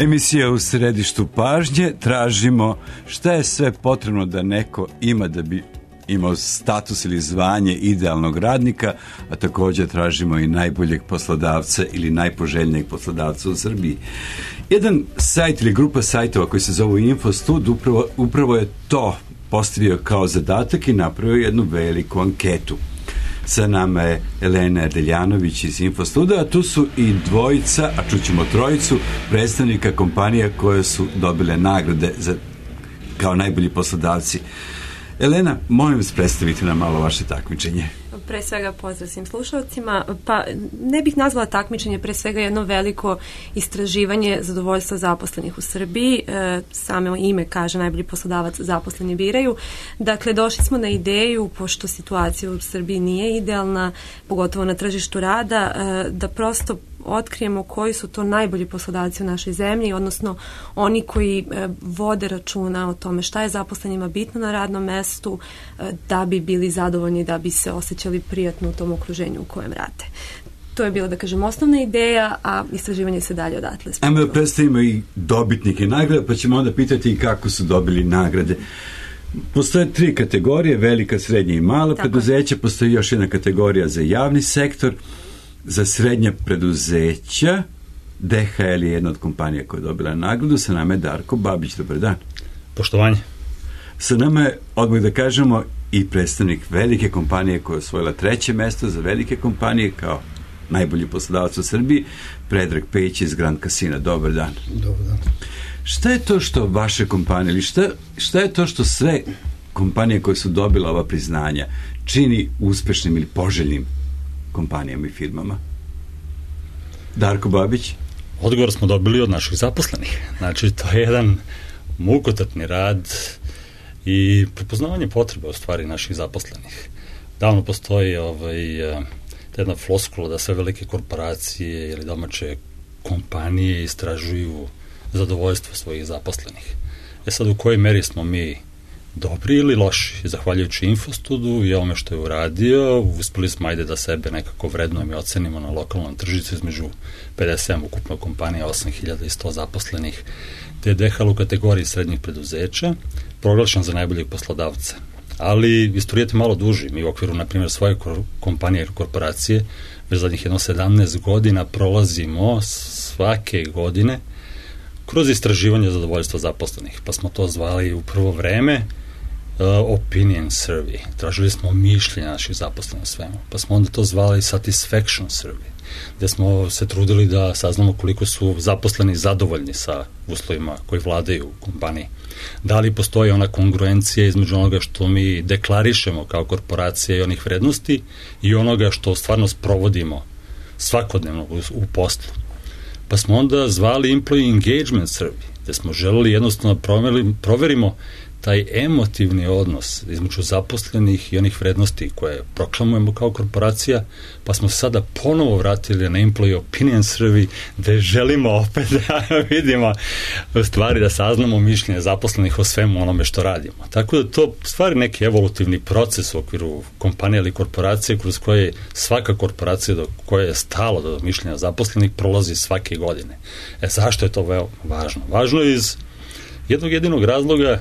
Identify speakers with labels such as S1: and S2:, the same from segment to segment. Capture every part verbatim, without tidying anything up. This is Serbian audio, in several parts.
S1: Emisija U središtu pažnje. Tražimo šta je sve potrebno da neko ima da bi imao status ili zvanje idealnog radnika, a također tražimo i najboljeg poslodavca ili najpoželjnijeg poslodavca u Srbiji. Jedan sajt ili grupa sajtova koji se zovu InfoStud upravo, upravo je to postavio kao zadatak i napravio jednu veliku anketu. Sa nama je Elena Deljanović iz InfoStuda, a tu su i dvojica, a čućemo trojicu, predstavnika kompanija koje su dobile nagrade za, kao najbolji poslodavci. Elena, molim vas predstaviti nam malo vaše takmičenje.
S2: Pre svega pozdrav svim slušalcima. Pa ne bih nazvala takmičenje, pre svega jedno veliko istraživanje zadovoljstva zaposlenih u Srbiji. E, samo ime kaže najbolji poslodavac zaposleni biraju. Dakle, došli smo na ideju, pošto situacija u Srbiji nije idealna, pogotovo na tržištu rada, e, da prosto otkrijemo koji su to najbolji poslodavci u našoj zemlji, odnosno oni koji e, vode računa o tome šta je zaposlenima bitno na radnom mestu, e, da bi bili zadovoljni, da bi se osjećali prijatno u tom okruženju u kojem rade. To je bila, da kažem, osnovna ideja, a istraživanje se dalje odatle.
S1: Ajmo da predstavimo i dobitnike nagrada, pa ćemo onda pitati i kako su dobili nagrade. Postoje tri kategorije, velika, srednja i mala preduzeća, postoji još jedna kategorija za javni sektor, za srednja preduzeća. D H L je jedna od kompanija koja je dobila nagradu. Sa nama je Darko Babić. Dobar dan.
S3: Poštovanje.
S1: Sa nama je, odmah da kažemo, i predstavnik velike kompanije koja je osvojila treće mesto za velike kompanije kao najbolji poslodavac u Srbiji, Predrag Pejić iz Grand Casina. Dobar dan.
S4: Dobar dan.
S1: Šta je to što vaše kompanije, ili šta, šta je to što sve kompanije koje su dobile ova priznanja čini uspešnim ili poželjnim kompanijama i firmama? Darko Babić?
S3: Odgovor smo dobili od naših zaposlenih. Znači, to je jedan mukotrpni rad i prepoznavanje potrebe u stvari naših zaposlenih. Davno postoji ovaj, jedna floskula da sve velike korporacije ili domaće kompanije istražuju zadovoljstvo svojih zaposlenih. E sad, u kojoj meri smo mi dobri ili loši? Zahvaljujući InfoStudu i ovome što je uradio, uspeli smo ajde da sebe nekako vrednujemo i ocenimo na lokalnom tržištu između pedeset sedam ukupno kompanija, osam hiljada sto zaposlenih, te je D H L u kategoriji srednjih preduzeća proglašen za najboljeg poslodavca. Ali istorijat je malo duži. Mi u okviru, na primjer, svoje kompanije i korporacije već zadnjih jedno sedamnaest godina prolazimo svake godine kroz istraživanje zadovoljstva zaposlenih. Pa smo to zvali u prvo vreme uh, opinion survey. Tražili smo mišljenja naših zaposlenih o svemu. Pa smo onda to zvali satisfaction survey, gde smo se trudili da saznamo koliko su zaposleni zadovoljni sa uslovima koji vladaju u kompaniji. Da li postoji ona kongruencija između onoga što mi deklarišemo kao korporacija i onih vrednosti i onoga što stvarno sprovodimo svakodnevno u, u poslu. Pa smo onda zvali employee engagement survey, gde smo želeli jednostavno proverimo, proverimo taj emotivni odnos između zaposlenih i onih vrednosti koje proklamujemo kao korporacija, pa smo sada ponovo vratili na employee opinion survey, gde želimo opet da vidimo stvari, da saznamo mišljenje zaposlenih o svemu onome što radimo. Tako da to stvari neki evolutivni proces u okviru kompanije ili korporacije kroz koje svaka korporacija do koje je stalo do mišljenja zaposlenih prolazi svake godine. E, zašto je to veoma važno? Važno je iz jednog jedinog razloga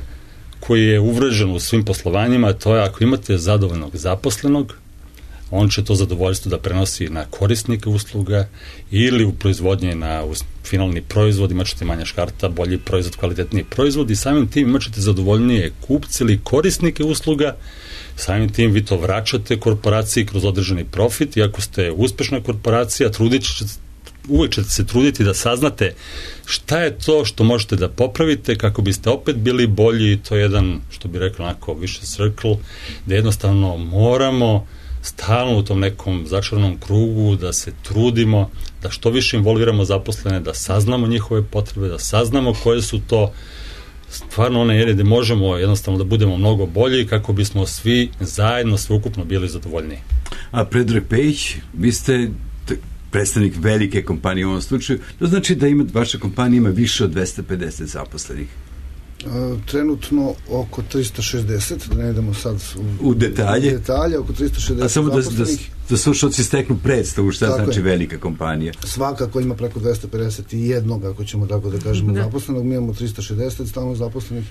S3: koji je uvrežen u svim poslovanjima, to je ako imate zadovoljnog zaposlenog, on će to zadovoljstvo da prenosi na korisnike usluga ili u proizvodnje na finalni proizvod, imat ćete manja škarta, bolji proizvod, kvalitetniji proizvod i samim tim imat ćete zadovoljnije kupce ili korisnike usluga, samim tim vi to vraćate korporaciji kroz određeni profit i ako ste uspešna korporacija, trudit ćete uvek ćete se truditi da saznate šta je to što možete da popravite kako biste opet bili bolji. To je jedan, što bi rekao, onako više circle, da jednostavno moramo stalno u tom nekom začarnom krugu da se trudimo, da što više involviramo zaposlene, da saznamo njihove potrebe, da saznamo koje su to stvarno one ere gde možemo jednostavno da budemo mnogo bolji kako bismo svi zajedno, sveukupno bili zadovoljniji.
S1: A Predrag Pejić, vi ste predstavnik velike kompanije u ovom slučaju, to znači da ima, vaša kompanija ima više od dvesta pedeset zaposlenih.
S4: Trenutno oko tristo šezdeset, da ne idemo sad u,
S1: u detalje.
S4: U detalje, oko tristo šezdeset.
S1: A samo da, da, da slušalci steknu predstavu šta tako znači je velika kompanija.
S4: Svakako ima preko dvesta pedeset jedan, ako ćemo tako da kažemo, da. zaposlenog. Mi imamo tristo šezdeset stalno zaposlenih,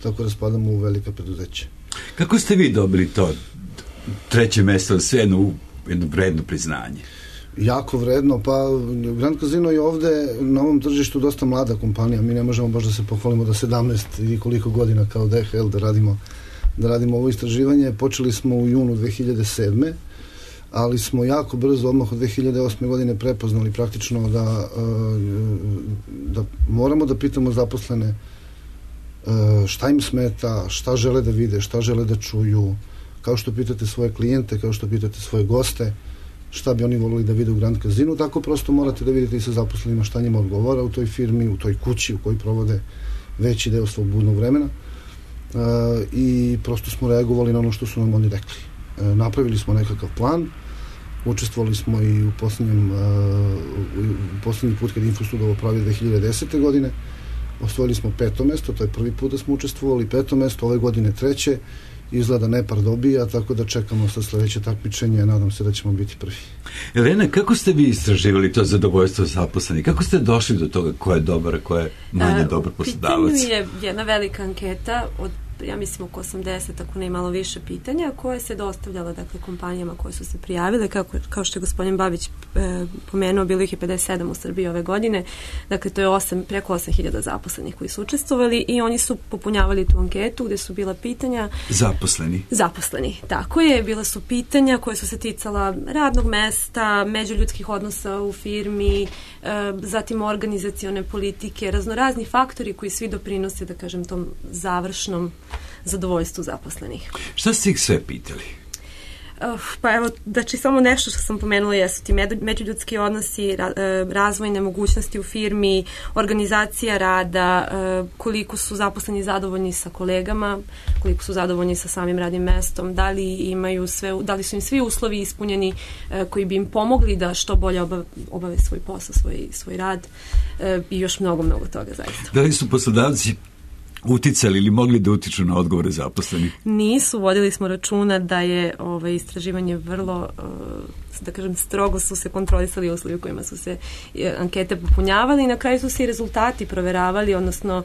S4: tako da spadamo u velika preduzeća.
S1: Kako ste vi dobili to treće mesto, sve jedno, jedno vredno priznanje?
S4: Jako vredno, pa Grand Casino je ovde na ovom tržištu dosta mlada kompanija, mi ne možemo baš da se pohvalimo da sedamnaest ili koliko godina kao D H L da radimo, da radimo ovo istraživanje. Počeli smo u junu dve hiljade sedme, ali smo jako brzo, odmah od dve hiljade osme godine prepoznali praktično da, da moramo da pitamo zaposlene šta im smeta, šta žele da vide, šta žele da čuju, kao što pitate svoje klijente, kao što pitate svoje goste, šta bi oni volili da vide u Grand Casinu, tako prosto morate da vidite i sa zaposlenima šta njima odgovara u toj firmi, u toj kući u kojoj provode veći deo svog budnog vremena e, i prosto smo reagovali na ono što su nam oni rekli. E, napravili smo nekakav plan, učestvovali smo i u posljednjem e, u posljednji put kad Infostud ovo pravi dve hiljade desete godine, osvojili smo peto mesto, to je prvi put da smo učestvovali, peto mesto, ove godine treće, izgleda Nepar dobija, tako da čekamo sa sledeće takmičenje, nadam se da ćemo biti prvi.
S1: Elena, kako ste vi istraživali to zadovoljstvo zaposlenih? Kako ste došli do toga ko je dobar, ko je manje dobar poslodavac?
S2: Pitanje je jedna velika anketa od, ja mislim, oko osamdeset, ako ne malo više pitanja, koje se dostavljala, dakle, kompanijama koje su se prijavile, kako, kao što je gospodin Babić e, pomenuo, bilo ih je pedeset sedam u Srbiji ove godine, dakle, to je osam, preko osam hiljada zaposlenih koji su učestvovali i oni su popunjavali tu anketu gde su bila pitanja...
S1: Zaposleni.
S2: Zaposleni, tako je, bila su pitanja koje su se ticala radnog mesta, međuljudskih odnosa u firmi, e, zatim organizacione politike, raznorazni faktori koji svi doprinose, da kažem, tom završnom zadovoljstvu zaposlenih.
S1: Šta ste ih sve pitali?
S2: Uh, pa evo, znači samo nešto što sam pomenula jesu ti međuljudski odnosi, ra, razvojne mogućnosti u firmi, organizacija rada, uh, koliko su zaposleni zadovoljni sa kolegama, koliko su zadovoljni sa samim radnim mestom, da li imaju sve, da li su im svi uslovi ispunjeni uh, koji bi im pomogli da što bolje obave, obave svoj posao, svoj, svoj rad uh, i još mnogo, mnogo toga zaista.
S1: Da li su poslodavci uticali ili mogli da utiču na odgovore zaposlenih?
S2: Nisu, vodili smo računa da je ovaj, istraživanje vrlo, da kažem, strogo su se kontrolisali uslovi u kojima su se ankete popunjavali i na kraju su se i rezultati proveravali, odnosno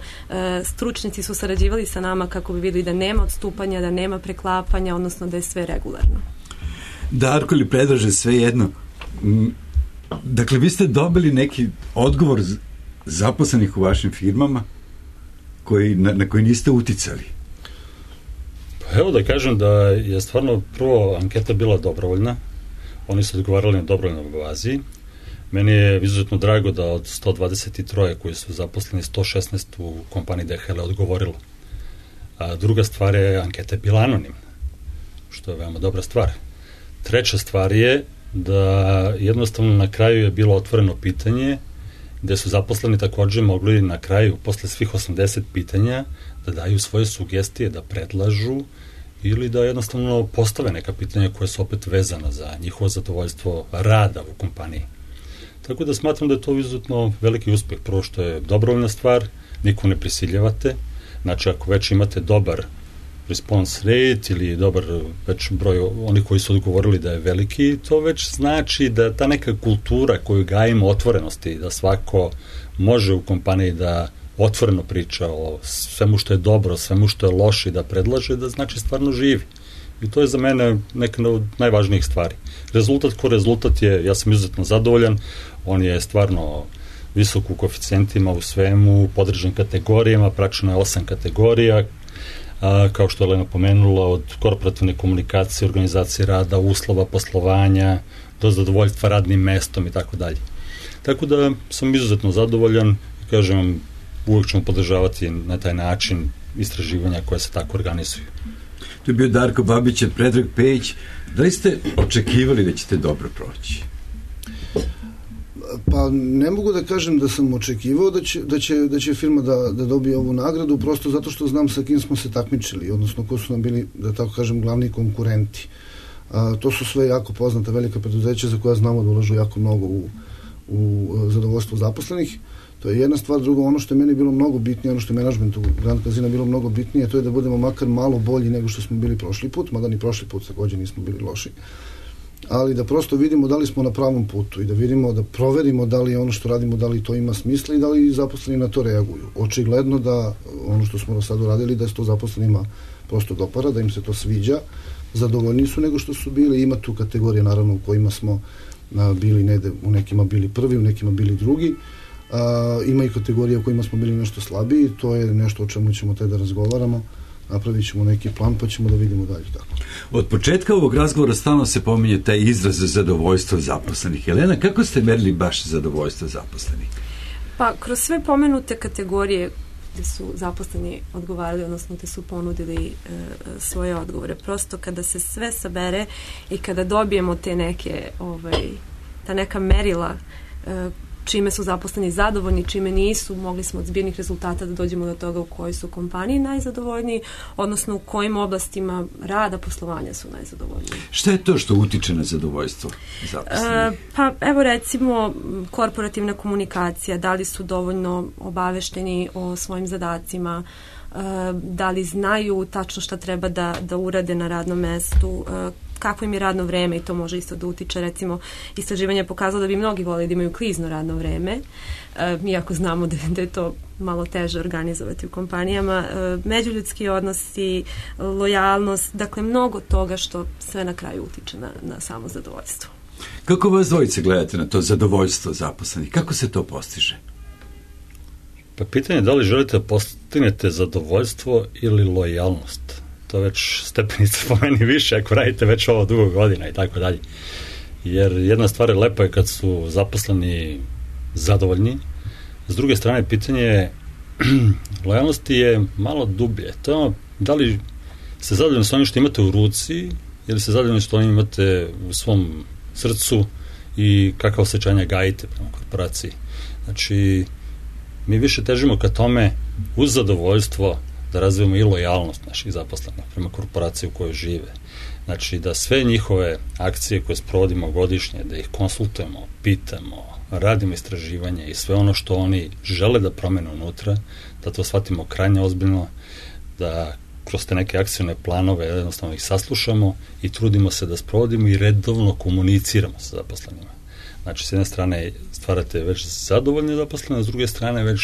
S2: stručnjaci su sarađivali sa nama kako bi videli da nema odstupanja, da nema preklapanja, odnosno da je sve regularno.
S1: Darko ili Predraže, sve jedno. Dakle, vi ste dobili neki odgovor zaposlenih u vašim firmama koji, na, na koji niste uticali?
S3: Pa evo da kažem da je stvarno prvo anketa bila dobrovoljna. Oni su odgovarali na dobrovoljnoj bazi. Meni je izuzetno drago da od sto dvadeset tri koji su zaposleni, sto šesnaest u kompaniji D H L odgovorilo. A druga stvar je, anketa je bila anonimna, što je veoma dobra stvar. Treća stvar je da jednostavno na kraju je bilo otvoreno pitanje gde su zaposleni takođe mogli na kraju, posle svih osamdeset pitanja, da daju svoje sugestije, da predlažu ili da jednostavno postave neka pitanja koja su opet vezana za njihovo zadovoljstvo rada u kompaniji. Tako da smatram da je to izuzetno veliki uspeh. Prvo što je dobrovoljna stvar, niko ne prisiljavate, znači ako već imate dobar response rate ili dobar već broj onih koji su odgovorili da je veliki, to već znači da ta neka kultura koju gajimo otvorenosti, da svako može u kompaniji da otvoreno priča o svemu što je dobro, svemu što je loše i da predlaže, da znači stvarno živi. I to je za mene neka od najvažnijih stvari. Rezultat ko rezultat je, ja sam izuzetno zadovoljan, on je stvarno visok u koeficijentima, u svemu, podržan kategorijama, praktično je osam kategorija, a, kao što je Elena pomenula, od korporativne komunikacije, organizacije rada, uslova, poslovanja, do zadovoljstva radnim mestom i tako dalje. Tako da sam izuzetno zadovoljan i kažem, uvijek ćemo podržavati na taj način istraživanja koje se tako organizuju.
S1: To je bio Darko Babić, Predrag Pejić. Da li ste očekivali da ćete dobro proći?
S4: Pa ne mogu da kažem da sam očekivao da će, da će, da će firma da, da dobije ovu nagradu, prosto zato što znam sa kim smo se takmičili, odnosno ko su nam bili, da tako kažem, glavni konkurenti. A, to su sve jako poznata velika preduzeća za koja znamo da ulažu jako mnogo u, u zadovoljstvo zaposlenih, To je jedna stvar. Drugo, ono što je meni bilo mnogo bitnije, ono što je menadžmentu Grand Casina bilo mnogo bitnije, to je da budemo makar malo bolji nego što smo bili prošli put, mada ni prošli put također nismo bili loši, ali da prosto vidimo da li smo na pravom putu i da vidimo, da proverimo da li ono što radimo, da li to ima smisla i da li zaposleni na to reaguju. Očigledno da ono što smo do sada uradili, da se to zaposlenima prosto dopara, da im se to sviđa, zadovoljni su nego što su bili. Ima tu kategorije naravno u kojima smo a, bili negde, u nekima bili prvi, u nekima bili drugi. A, ima i kategorije u kojima smo bili nešto slabiji, to je nešto o čemu ćemo te da razgovaramo, napravit ćemo neki plan pa ćemo da vidimo dalje tako.
S1: Od početka ovog razgovora stalno se pominje taj izraz za zadovoljstvo zaposlenih. Jelena, kako ste merili baš zadovoljstvo zaposlenih?
S2: Pa, kroz sve pomenute kategorije gde su zaposleni odgovarali, odnosno gde su ponudili e, svoje odgovore. Prosto kada se sve sabere i kada dobijemo te neke, ovaj, ta neka merila e, čime su zaposleni zadovoljni, čime nisu, mogli smo od zbirnih rezultata da dođemo do toga u kojoj su kompaniji najzadovoljniji, odnosno u kojim oblastima rada, poslovanja su najzadovoljniji.
S1: Šta je to što utiče na zadovoljstvo zaposlenih?
S2: E, pa evo recimo korporativna komunikacija, da li su dovoljno obavešteni o svojim zadacima, e, da li znaju tačno šta treba da, da urade na radnom mestu, e, kako im je radno vreme i to može isto da utiče. Recimo, istraživanje je pokazalo da bi mnogi voleli da imaju klizno radno vreme, e, iako znamo da, da je to malo teže organizovati u kompanijama. E, međuljudski odnosi, lojalnost, dakle mnogo toga što sve na kraju utiče na, na samo zadovoljstvo.
S1: Kako vas dvojice gledate na to zadovoljstvo zaposlenih? Kako se to postiže?
S3: Pa pitanje je da li želite da postignete zadovoljstvo ili lojalnost. To je već stepenica po meni više ako radite već ovo dugo godina i tako dalje. Jer jedna stvar je lepa je kad su zaposleni zadovoljni. S druge strane, pitanje je lojalnosti je malo dublje. To je ono, da li ste zadovoljni s onim što imate u ruci ili ste zadovoljni što onim imate u svom srcu i kakva osjećanja gajite prema korporaciji. Znači, mi više težimo ka tome uz zadovoljstvo da razvijemo i lojalnost naših zaposlenih prema korporaciji u kojoj žive. Znači, da sve njihove akcije koje sprovodimo godišnje, da ih konsultujemo, pitamo, radimo istraživanje i sve ono što oni žele da promene unutra, da to shvatimo krajnje ozbiljno, da kroz te neke akcijne planove jednostavno ih saslušamo i trudimo se da sprovodimo i redovno komuniciramo sa zaposlenima. Znači, s jedne strane stvarate već zadovoljne zaposlene, s druge strane već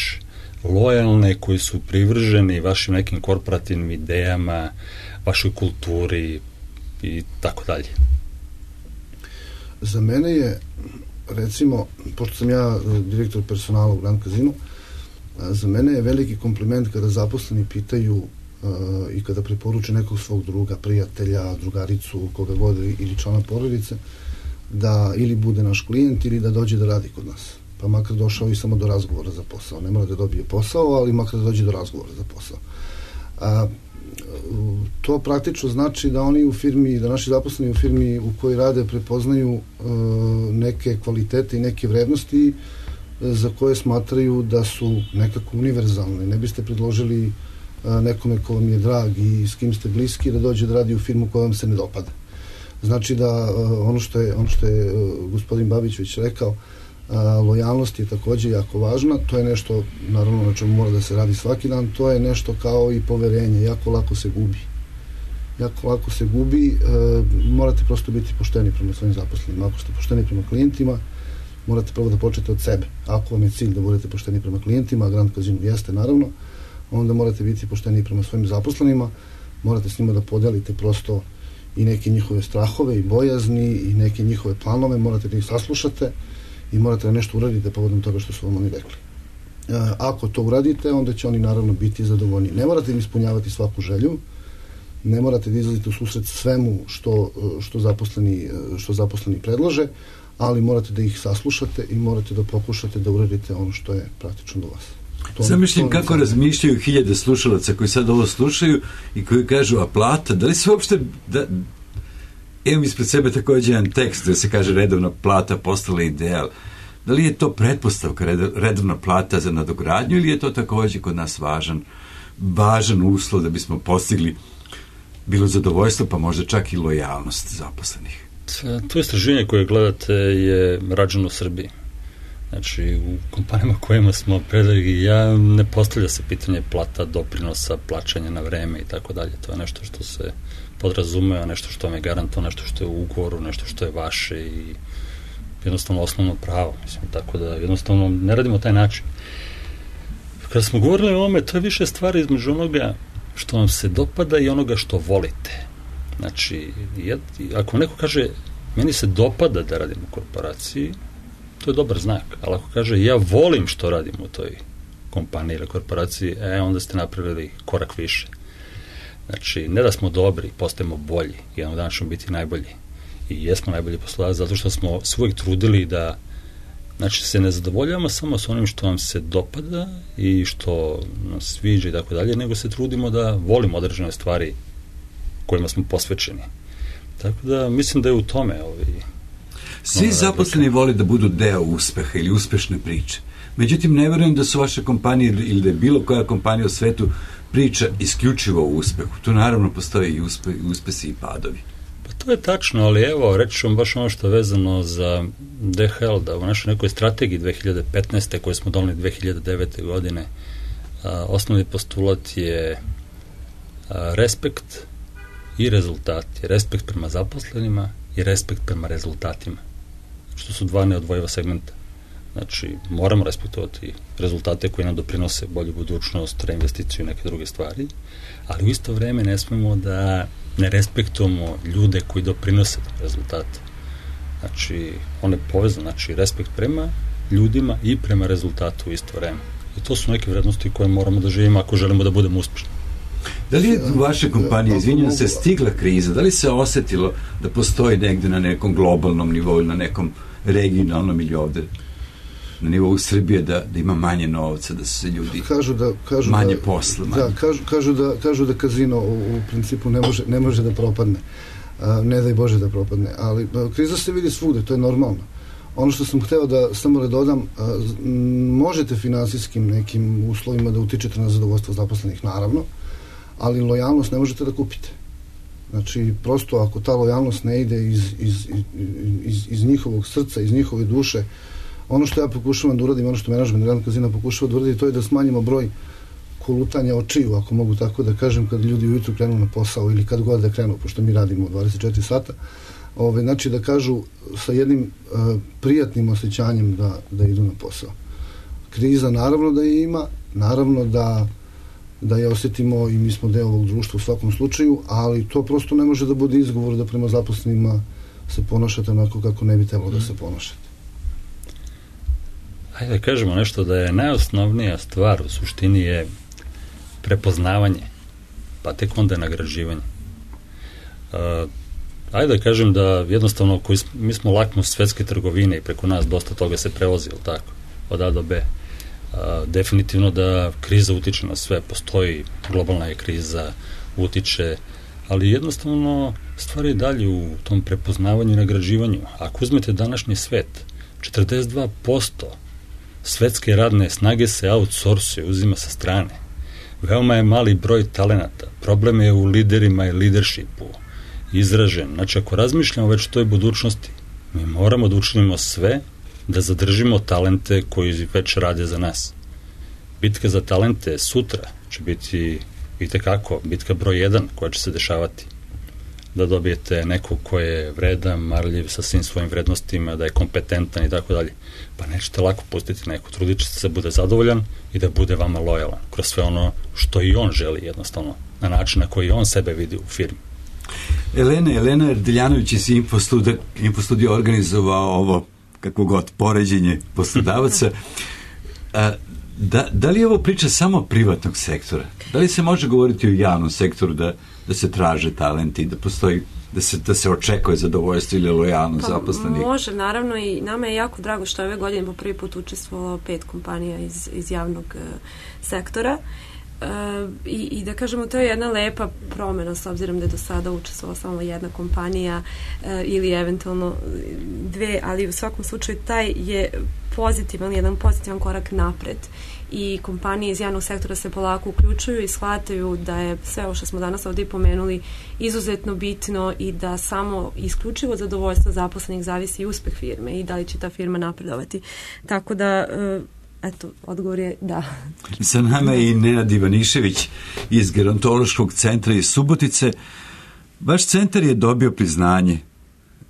S3: lojalne koji su privrženi vašim nekim korporativnim idejama, vašoj kulturi i tako dalje.
S4: Za mene je, recimo, pošto sam ja direktor personala u Grand Casinu, za mene je veliki kompliment kada zaposleni pitaju uh, i kada preporuče nekog svog druga, prijatelja, drugaricu, koga god ili člana porodice, da ili bude naš klijent ili da dođe da radi kod nas. Pa makar došao i samo do razgovora za posao. Ne mora da dobije posao, ali makar da dođe do razgovora za posao. A, to praktično znači da oni u firmi, da naši zaposleni u firmi u kojoj rade prepoznaju uh, neke kvalitete i neke vrednosti uh, za koje smatraju da su nekako univerzalne. Ne biste predložili uh, nekome ko vam je drag i s kim ste bliski da dođe da radi u firmu koja vam se ne dopada. Znači da uh, ono što je, ono što je uh, gospodin Babić već rekao, A, lojalnost je također jako važna, to je nešto naravno na čemu mora da se radi svaki dan, to je nešto kao i poverenje, jako lako se gubi jako lako se gubi, e, morate prosto biti pošteni prema svojim zaposlenima. Ako ste pošteni prema klijentima, morate prvo da počnete od sebe. Ako vam je cilj da budete pošteni prema klijentima, a Grand Casino jeste naravno, onda morate biti pošteni prema svojim zaposlenima, morate s njima da podelite prosto i neke njihove strahove i bojazni i neke njihove planove, morate da ih saslušate i morate da nešto uradite povodom toga što su vam oni rekli. E, ako to uradite, onda će oni naravno biti zadovoljni. Ne morate im ispunjavati svaku želju, ne morate da izlazite u susret svemu što, što, zaposleni, što zaposleni predlože, ali morate da ih saslušate i morate da pokušate da uradite ono što je praktično do vas.
S1: Zamišljam kako sam... razmišljaju hiljade slušalaca koji sad ovo slušaju i koji kažu, a plata, da li se uopšte... Da... Imam ispred sebe također jedan tekst gdje se kaže redovna plata postala ideal. Da li je to pretpostavka redovna plata za nadogradnju ili je to također kod nas važan, važan uslov da bismo postigli bilo zadovoljstvo, pa možda čak i lojalnost zaposlenih?
S3: To istraživanje koje gledate je rađeno u Srbiji. Znači, u kompanijama kojima smo predali, ja ne postavlja se pitanje plata, doprinosa, plaćanja na vreme i tako dalje. To je nešto što se podrazumeva, nešto što vam je garanto, nešto što je u ugovoru, nešto što je vaše i jednostavno osnovno pravo. Mislim, tako da jednostavno ne radimo taj način. Kada smo govorili o ovome, to je više stvari između onoga što vam se dopada i onoga što volite. Znači, jed, ako neko kaže, meni se dopada da radim u korporaciji, to je dobar znak, ali ako kaže, ja volim što radim u toj kompaniji ili korporaciji, e, onda ste napravili korak više. Znači, ne da smo dobri, postajemo bolji, jednog dana ćemo biti najbolji. I jesmo najbolji poslodavac zato što smo se uvijek trudili da, znači, se ne zadovoljavamo samo s onim što vam se dopada i što nas sviđa i tako dalje, nego se trudimo da volimo određene stvari kojima smo posvećeni. Tako da, mislim da je u tome ovi...
S1: Svi zaposleni vole da budu deo uspeha ili uspešne priče. Međutim, ne verujem da su vaše kompanije ili da je bilo koja kompanija u svetu priča isključivo o uspehu. Tu naravno postoje i uspe, uspesi i padovi.
S3: Pa to je tačno, ali evo, reći ću vam baš ono što je vezano za D H L, da u našoj nekoj strategiji dve hiljade petnaeste koje smo doneli dve hiljade devete. godine, a, osnovni postulat je a, respekt i rezultati. Respekt prema zaposlenima i respekt prema rezultatima. Što su dva neodvojiva segmenta. Znači, moramo respektovati rezultate koji nam doprinose bolju budućnost, reinvesticiju i neke druge stvari, ali u isto vreme ne smemo da ne respektujemo ljude koji doprinose rezultate. Znači, on je povezan, znači, respekt prema ljudima i prema rezultatu u isto vreme. I to su neke vrednosti koje moramo da živimo ako želimo da budemo uspješni.
S1: Da li je u vašoj kompaniji, izvinjam se, stigla kriza? Da li se osetilo da postoji negde na nekom globalnom nivou, na nekom regionalnom ili ovde na nivou Srbije da, da ima manje novca, da su se ljudi
S4: kažu da, kažu
S1: manje
S4: da,
S1: posla? Manje.
S4: Da, kažu, kažu, da, kažu da kazino u, u principu ne može, ne može da propadne. A, ne daj Bože da propadne. Ali a, kriza se vidi svugde, to je normalno. Ono što sam hteo da samo da dodam, a, možete finansijskim nekim uslovima da utičete na zadovoljstvo zaposlenih, naravno, ali lojalnost ne možete da kupite. Znači, prosto ako ta lojalnost ne ide iz, iz, iz, iz njihovog srca, iz njihove duše, ono što ja pokušavam da uradim, ono što menadžment Grand Casina pokušava da uradi, to je da smanjimo broj kolutanja očiju, ako mogu tako da kažem, kad ljudi ujutru krenu na posao ili kad god da krenu, pošto mi radimo dvadeset četiri sata, ove, znači da kažu sa jednim uh, prijatnim osjećanjem da, da idu na posao. Kriza naravno da je ima, naravno da da je osjetimo i mi smo deo ovog društva u svakom slučaju, ali to prosto ne može da bude izgovor da prema zaposlenima se ponašate onako kako ne bi trebalo da se ponašate.
S3: Hajde da kažemo nešto, da je najosnovnija stvar u suštini je prepoznavanje, pa tek onda je nagrađivanje. Uh, hajde da kažem da jednostavno koji, mi smo lakmus svetske trgovine i preko nas dosta toga se prevozi, ili tako, od A do B. Uh, definitivno da kriza utiče na sve, postoji globalna je kriza, utiče, ali jednostavno stvari dalje u tom prepoznavanju i nagrađivanju. Ako uzmete današnji svet, četrdeset dva posto svetske radne snage se outsourcuje, uzima sa strane. Veoma je mali broj talenata. Problem je u liderima i leadershipu izražen. Znači, ako razmišljamo već o toj budućnosti, mi moramo da učinimo sve da zadržimo talente koji već rade za nas. Bitka za talente sutra će biti itekako bitka broj jedan koja će se dešavati. Da dobijete nekog ko je vredan, marljiv sa svim svojim vrednostima, da je kompetentan i tako dalje. Pa nećete lako pustiti neko. Trudit ćete se da bude zadovoljan i da bude vama lojalan kroz sve ono što i on želi jednostavno, na način na koji on sebe vidi u firmi.
S1: Elena, Elena Erdeljanović iz Infostudio, Infostudio organizovao ovo kako god, poređenje poslodavaca. A, da, da li je ovo priča samo privatnog sektora? Da li se može govoriti o javnom sektoru da, da se traže talenti, da postoji, da se, da se očekuje zadovoljstvo ili lojalnost pa, zaposlenih?
S2: Može, naravno, i nama je jako drago što je ove godine po prvi put učestvovalo pet kompanija iz, iz javnog uh, sektora. i, i da kažemo, to je jedna lepa promjena s obzirom da je do sada učestvovala samo jedna kompanija ili eventualno dve, ali u svakom slučaju taj je pozitivan, jedan pozitivan korak napred i kompanije iz javnog sektora se polako uključuju i shvataju da je sve ovo što smo danas ovdje pomenuli izuzetno bitno i da samo isključivo zadovoljstvo zaposlenih zavisi i uspeh firme i da li će ta firma napredovati. Tako da eto, odgovor je da.
S1: Sa nama je i Nenad Ivanišević iz Gerontološkog centra iz Subotice. Vaš centar je dobio priznanje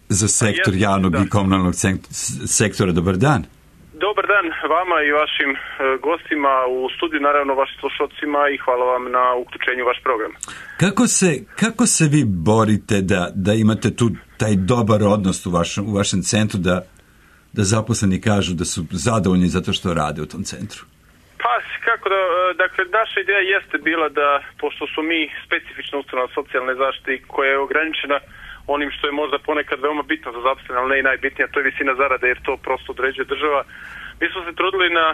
S1: za sektor
S5: Jest,
S1: javnog
S5: da.
S1: i komunalnog sektora. Dobar dan.
S5: Dobar dan vama i vašim e, gostima u studiju, naravno vašim slušalcima i hvala vam na uključenju u vaš program.
S1: Kako se, kako se vi borite da, da imate tu taj dobar odnos u vašem, u vašem centru, da da zaposleni kažu da su zadovoljni zato što rade u tom centru?
S5: Pa, kako da, dakle, naša ideja jeste bila da, pošto su mi specifična ustanova socijalne zaštite koja je ograničena onim što je možda ponekad veoma bitno za zaposlene, ali ne i najbitnije, to je visina zarade, jer to prosto određuje država. Mi smo se trudili na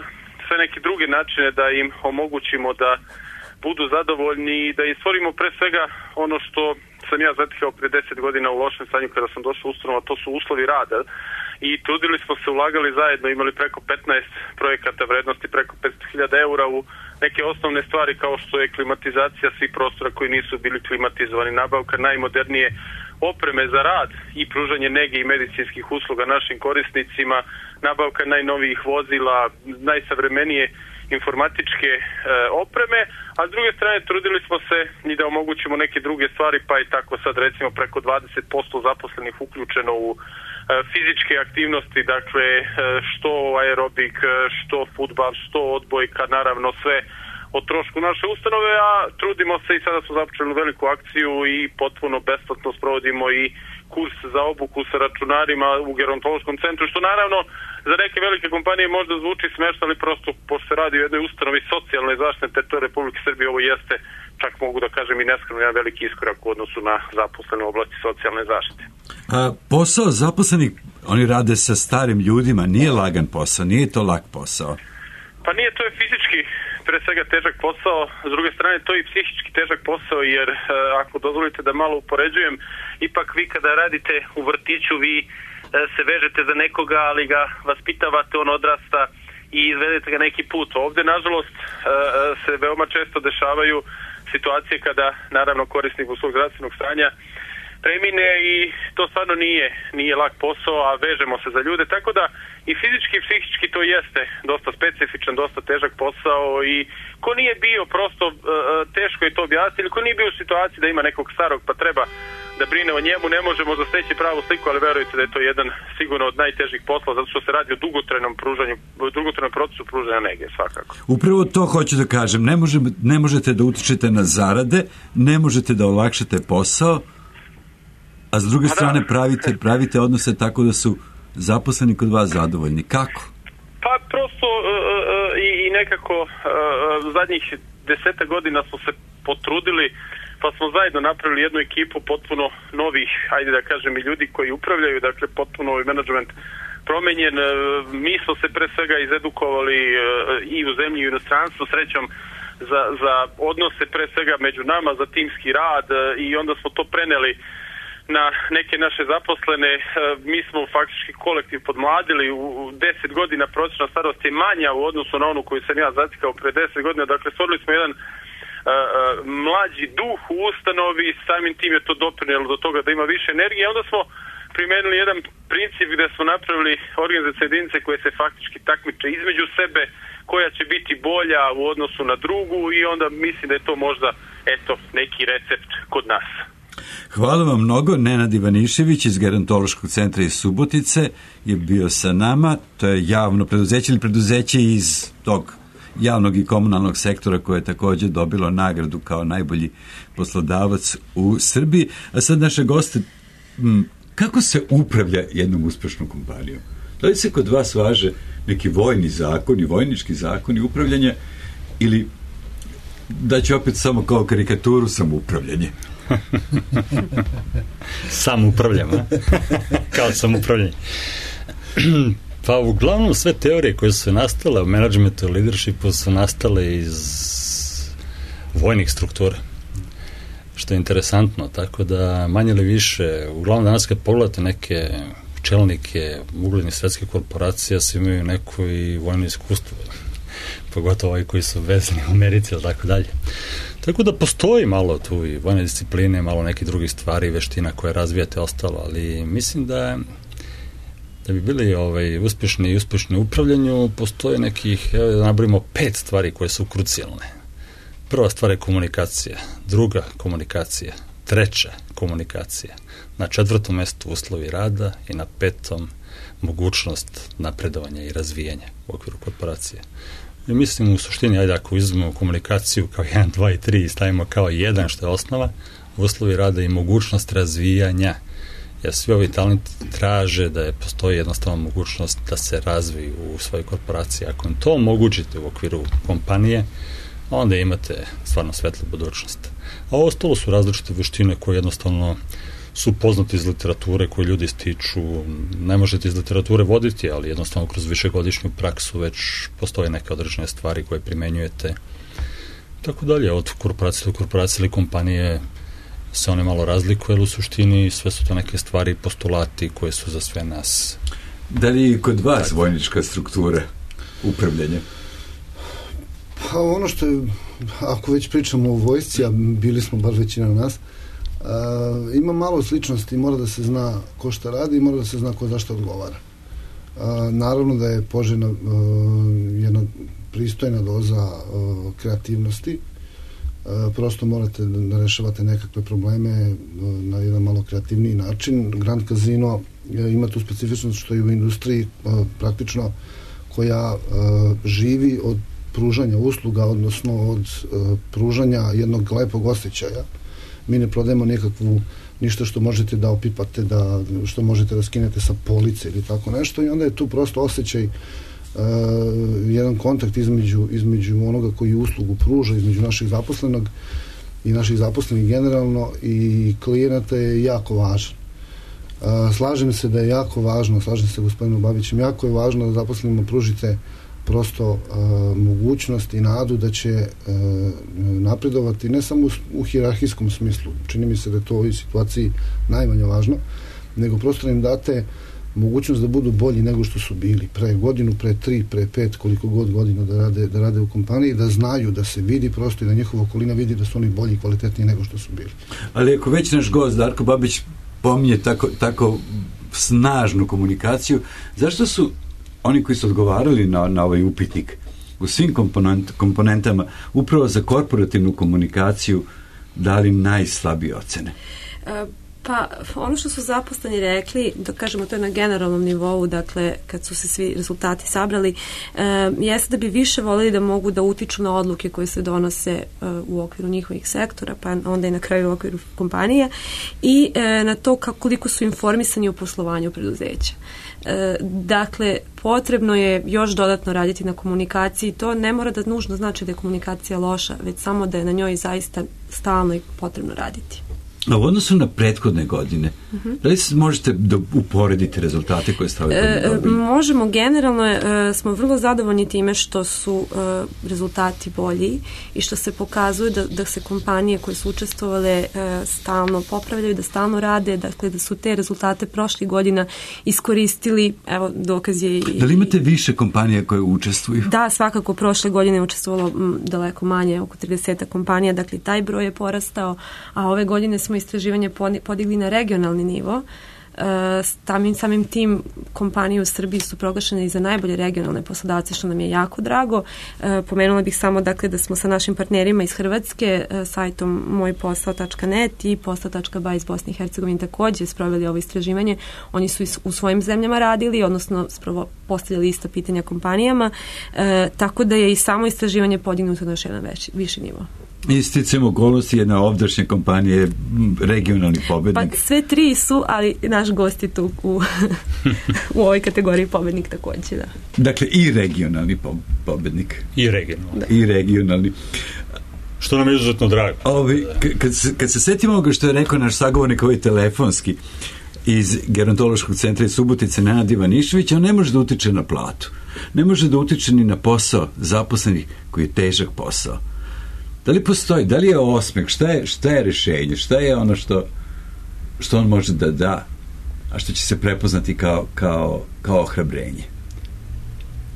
S5: sve neke druge načine da im omogućimo da budu zadovoljni i da im stvorimo pre svega ono što sam ja zatekao prije deset godina u lošem stanju kada sam došao u ustanovu, to su uslovi rada. I trudili smo se, ulagali zajedno, imali preko petnaest projekata vrednosti preko petsto hiljada eura u neke osnovne stvari kao što je klimatizacija svih prostora koji nisu bili klimatizovani, nabavka najmodernije opreme za rad i pružanje nege i medicinskih usluga našim korisnicima, nabavka najnovijih vozila, najsavremenije informatičke e, opreme, a s druge strane trudili smo se i da omogućimo neke druge stvari, pa i tako sad recimo preko dvadeset posto zaposlenih uključeno u e, fizičke aktivnosti, dakle e, što aerobik, što fudbal, što odbojka, naravno sve o trošku naše ustanove, a trudimo se i sada smo započeli veliku akciju i potpuno besplatno sprovodimo i kurs za obuku sa računarima u Gerontološkom centru, što naravno za neke velike kompanije možda zvuči smešno, ali prosto pošto se radi o jednoj ustanovi socijalne zaštite na teritoriji Republike Srbije, ovo jeste, čak mogu da kažem i neskromno, jedan veliki iskorak u odnosu na zaposlene u oblasti socijalne zaštite.
S1: A, posao zaposlenih, oni rade sa starim ljudima, nije lagan posao, nije to lak posao.
S5: Pa nije, to je fizički pre svega težak posao, s druge strane to je i psihički težak posao, jer e, ako dozvolite da malo upoređujem, ipak vi kada radite u vrtiću, vi e, se vežete za nekoga, ali ga vaspitavate, on odrasta i izvedete ga neki put. Ovdje, nažalost, e, se veoma često dešavaju situacije kada, naravno, korisnik u svog zdravstvenog stanja premine i to stvarno nije, nije lak posao, a vežemo se za ljude, tako da i fizički i psihički to jeste dosta specifičan, dosta težak posao i ko nije bio prosto uh, teško je to objasniti, ili ko nije bio u situaciji da ima nekog starog pa treba da brine o njemu, ne možemo zasteći pravu sliku, ali verujte da je to jedan sigurno od najtežih poslova, zato što se radi o dugotrajnom pružanju, dugotrajnom procesu pružanja nege, svakako.
S1: Upravo to hoću da kažem, ne, može, ne možete da utičete na zarade, ne možete da olakšate posao, a s druge strane pravite, pravite odnose tako da su zaposleni kod vas zadovoljni. Kako?
S5: Pa prosto uh, uh, i, i nekako uh, zadnjih deseta godina smo se potrudili, pa smo zajedno napravili jednu ekipu potpuno novih, ajde da kažem, i ljudi koji upravljaju, dakle potpuno ovaj menadžment promenjen. Uh, mi smo se pre svega izedukovali uh, i u zemlji i u inostranstvu, srećom za, za odnose pre svega među nama, za timski rad uh, i onda smo to preneli na neke naše zaposlene. Mi smo faktički kolektiv podmladili, u deset godina prosječna starost je manja u odnosu na onu koju sam ja zatikao pre deset godina, dakle stvorili smo jedan uh, mlađi duh u ustanovi, samim tim je to doprinijelo do toga da ima više energije, onda smo primenili jedan princip gdje smo napravili organizacijske jedinice koje se faktički takmiče između sebe, koja će biti bolja u odnosu na drugu i onda mislim da je to možda eto neki recept kod nas.
S1: Hvala vam mnogo. Nenad Ivanišević iz Gerontološkog centra iz Subotice je bio sa nama. To je javno preduzeće ili preduzeće iz tog javnog i komunalnog sektora koje je također dobilo nagradu kao najbolji poslodavac u Srbiji. A sad naše goste, kako se upravlja jednom uspešnom kompanijom? Da li se kod vas važe neki vojni zakon i vojnički zakon i upravljanje ili da ću opet samo kao karikaturu samoupravljanje?
S3: Samoupravljam, a? Kao samoupravljanje. Pa uglavnom sve teorije koje su nastale u menadžmentu i leadershipu su nastale iz vojnih struktura, što je interesantno, tako da manje ili više, uglavnom danas kad pogledate neke čelnike uglednih svetskih korporacija, svi imaju neko i vojno iskustvo, pogotovo ovi koji su vezani u Americi ili tako dalje. Tako da postoji malo tu i vojne discipline, malo nekih drugih stvari, veština koje razvijate ostalo, ali mislim da da bi bili ovaj, uspješni i uspješni u upravljanju, postoje nekih, evo da nabrimo pet stvari koje su krucijalne. Prva stvar je komunikacija, druga komunikacija, treća komunikacija, na četvrtom mjestu uslovi rada i na petom mogućnost napredovanja i razvijanja u okviru korporacije. I mislim u suštini, ajde ako izuzmemo komunikaciju kao jedan, dva i tri i stavimo kao jedan što je osnova, uslovi rada i mogućnost razvijanja. Jer svi ovi talenti traže da je postoji jednostavno mogućnost da se razviju u svojoj korporaciji. Ako im to omogućite u okviru kompanije, onda imate stvarno svetlu budućnost. A ostalo su različite veštine koje jednostavno su poznate iz literature, koje ljudi stiču. Ne možete iz literature voditi, ali jednostavno kroz višegodišnju praksu već postoje neke određene stvari koje primenjujete. Tako dalje, od korporacije do korporacije ili kompanije se one malo razlikuje, ali u suštini sve su to neke stvari, postulati koje su za sve nas.
S1: Da li je kod vas tak. vojnička struktura upravljanja?
S4: Pa ono što je, ako već pričamo o vojsci, a bili smo bar većina nas, Uh, ima malo sličnosti, mora da se zna ko šta radi i mora da se zna ko zašto odgovara. Uh, naravno da je poželjna uh, jedna pristojna doza uh, kreativnosti. Uh, prosto morate da rešavate nekakve probleme uh, na jedan malo kreativniji način. Grand Casino uh, ima tu specifičnost što je u industriji uh, praktično koja uh, živi od pružanja usluga, odnosno od uh, pružanja jednog lepog osjećaja. Mi ne prodajemo nekakvu ništa što možete da opipate, da, što možete da skinete sa police ili tako nešto i onda je tu prosto osjećaj, uh, jedan kontakt između, između onoga koji uslugu pruža, između naših zaposlenog i naših zaposlenih generalno i klijenata je jako važan. Uh, slažem se da je jako važno, slažem se gospodinom Babićem, jako je važno da zaposlenima pružite prosto uh, mogućnost i nadu da će uh, napredovati ne samo u, u hijerarhijskom smislu, čini mi se da je to u ovoj situaciji najmanje važno, nego prosto im date mogućnost da budu bolji nego što su bili pre godinu, pre tri, pre pet, koliko god godina da rade, da rade u kompaniji, da znaju, da se vidi prosto i da njihova okolina vidi da su oni bolji i kvalitetniji nego što su bili.
S1: Ali ako već naš gost Darko Babić pominje tako, tako snažnu komunikaciju, zašto su oni koji su odgovarali na, na ovaj upitnik u svim komponent, komponentama upravo za korporativnu komunikaciju dali najslabije ocene?
S2: E, pa ono što su zaposleni rekli, da kažemo to je na generalnom nivou, dakle kad su se svi rezultati sabrali, e, jeste da bi više voljeli da mogu da utiču na odluke koje se donose e, u okviru njihovih sektora, pa onda i na kraju u okviru kompanije i e, na to kako, koliko su informisani o poslovanju preduzeća. E, dakle, potrebno je još dodatno raditi na komunikaciji. To ne mora da nužno znači da je komunikacija loša, već samo da je na njoj zaista stalno i potrebno raditi.
S1: A u odnosu na prethodne godine, uh-huh. da li možete da uporedite rezultate koje ste ove godine dobili?
S2: E, možemo, generalno e, smo vrlo zadovoljni time što su e, rezultati bolji i što se pokazuje da, da se kompanije koje su učestvovale e, stalno popravljaju, da stalno rade, dakle da su te rezultate prošlih godina iskoristili, evo dokaz je i...
S1: Da li imate više kompanija koje učestvuju?
S2: Da, svakako prošle godine je učestvovalo m, daleko manje, oko trideset kompanija, dakle taj broj je porastao, a ove godine smo istraživanje podigli na regionalni nivo. Samim, samim tim kompanije u Srbiji su proglašene i za najbolje regionalne poslodavce, što nam je jako drago. Pomenula bih samo dakle da smo sa našim partnerima iz Hrvatske, sajtom moj posao tačka net i posao tačka ba iz Bosne i Hercegovine također sproveli ovo istraživanje. Oni su u svojim zemljama radili, odnosno spravo postavljali ista pitanja kompanijama, tako da je i samo istraživanje podignuto na još jedan veći, viši nivo.
S1: Isticam okolnosti, jedna ovdašnja kompanija je regionalni pobednik.
S2: Pa sve tri su, ali naš gost je tu u, u ovoj kategoriji pobednik također, da.
S1: Dakle, i regionalni pobednik.
S3: I regionalni.
S1: Da. I regionalni.
S3: Što nam je izuzetno drago.
S1: Ovi, kad, se, kad se setimo ovoga što je rekao naš sagovornik ovaj telefonski iz gerontološkog centra iz Subotice, Nenad Ivanišević, on ne može da utiče na platu. Ne može da utiče ni na posao zaposlenih koji je težak posao. Da li postoji, da li je osmeh, šta je, šta je rešenje, šta je ono što, što on može da da, a što će se prepoznati kao, kao, kao ohrabrenje?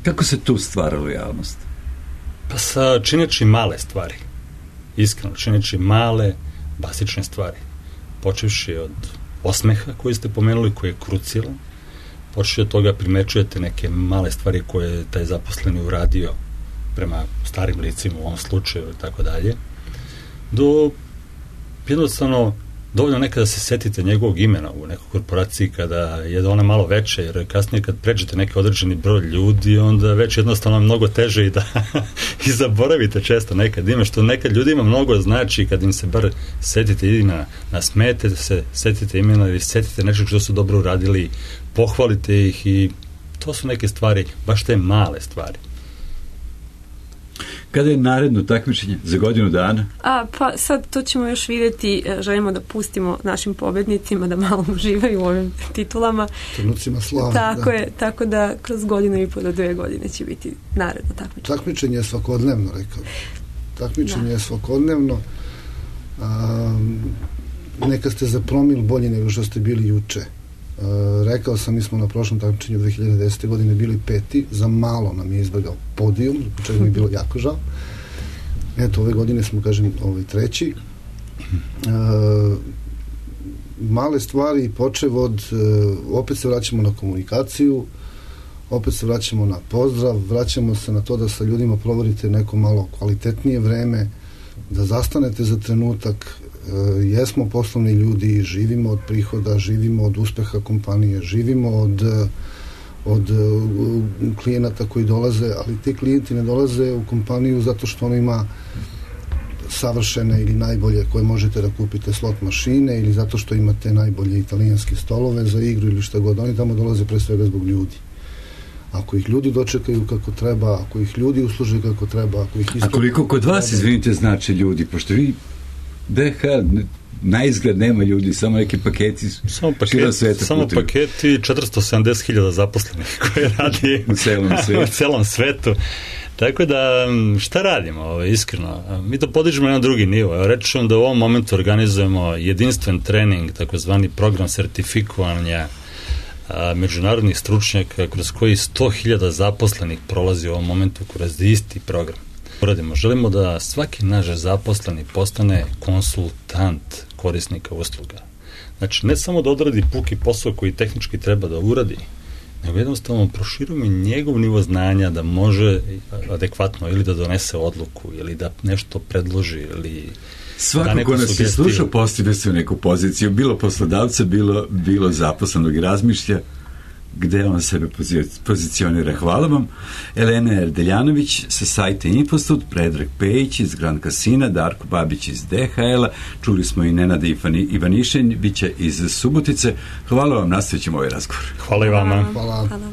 S1: Kako se tu stvara lojalnost?
S3: Pa sa čineći male stvari. Iskreno, čineći male, basične stvari. Počevši od osmeha koji ste pomenuli, koji je krucijalan, počeši od toga primećujete neke male stvari koje je taj zaposleni uradio prema starim licima u ovom slučaju i tako dalje, do jednostavno dovoljno nekada da se setite njegovog imena u nekoj korporaciji kada je ona malo veća, jer kasnije kad pređete neki određeni broj ljudi, onda već jednostavno mnogo teže i da i zaboravite često nekad ime, što nekad ljudima mnogo znači kad im se bar setite ili na, na smete, se setite imena ili setite nešto što su dobro uradili, pohvalite ih i to su neke stvari, baš te male stvari.
S1: Kada je naredno takmičenje? Za godinu dana?
S2: A, pa sad to ćemo još vidjeti, želimo da pustimo našim pobednicima da malo uživaju u ovim titulama.
S4: Trenucima slave.
S2: Tako
S4: da.
S2: je, tako da kroz godinu i po do dve godine će biti naredno takmičenje.
S4: Takmičenje je svakodnevno, rekao. Takmičenje da. je svakodnevno. A, neka ste za promil bolji nego što ste bili juče. Uh, rekao sam, mi smo na prošlom takmičenju dve hiljade desete. godine bili peti, za malo nam je izbegao podijum, čega mi je bilo jako žao. Eto, ove godine smo, kažem, ovaj treći. Uh, male stvari, počev od, uh, opet se vraćamo na komunikaciju, opet se vraćamo na pozdrav, vraćamo se na to da sa ljudima provodite neko malo kvalitetnije vreme, da zastanete za trenutak. Uh, jesmo poslovni ljudi, živimo od prihoda, živimo od uspeha kompanije, živimo od, od uh, klijenata koji dolaze, ali ti klijenti ne dolaze u kompaniju zato što ono ima savršene ili najbolje koje možete da kupite slot mašine ili zato što imate najbolje italijanske stolove za igru ili šta god. Oni tamo dolaze pre svega zbog ljudi. Ako ih ljudi dočekaju kako treba, ako ih ljudi usluže kako treba, ako ih isto...
S1: A koliko kod vas, izvinite, znači ljudi, pošto vi D H L na izgled nema ljudi, samo neki paketi
S3: samo paketi, samo paketi četiristo sedamdeset hiljada zaposlenih koji radi
S1: u celom svetu.
S3: u celom svetu. Tako da, šta radimo, ovo, iskreno? Mi to podižemo na drugi nivo. Reći ću vam da u ovom momentu organizujemo jedinstven trening, takozvani program sertifikovanja a, međunarodnih stručnjaka kroz koji sto hiljada zaposlenih prolazi u ovom momentu kroz isti program. Uradimo. Želimo da svaki naš zaposleni postane konsultant korisnika usluga. Znači, ne samo da odradi puki posao koji tehnički treba da uradi, nego jednostavno proširujemo njegov nivo znanja da može adekvatno ili da donese odluku, ili da nešto predloži, ili
S1: svako ko nas je slušao postavlja se u neku poziciju, bilo poslodavca, bilo, bilo zaposlenog i razmišlja gde on sebe pozicionira. Hvala vam. Elena Erdeljanović sa sajta Infostud, Predrag Pejić iz Grand Casina, Darko Babić iz D H L-a, čuli smo i Nenada Ivaniševića iz Subotice. Hvala vam, nastavit ćemo ovaj razgovor.
S3: Hvala i vama.
S4: Hvala.
S2: Hvala.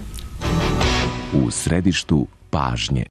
S6: U središtu pažnje.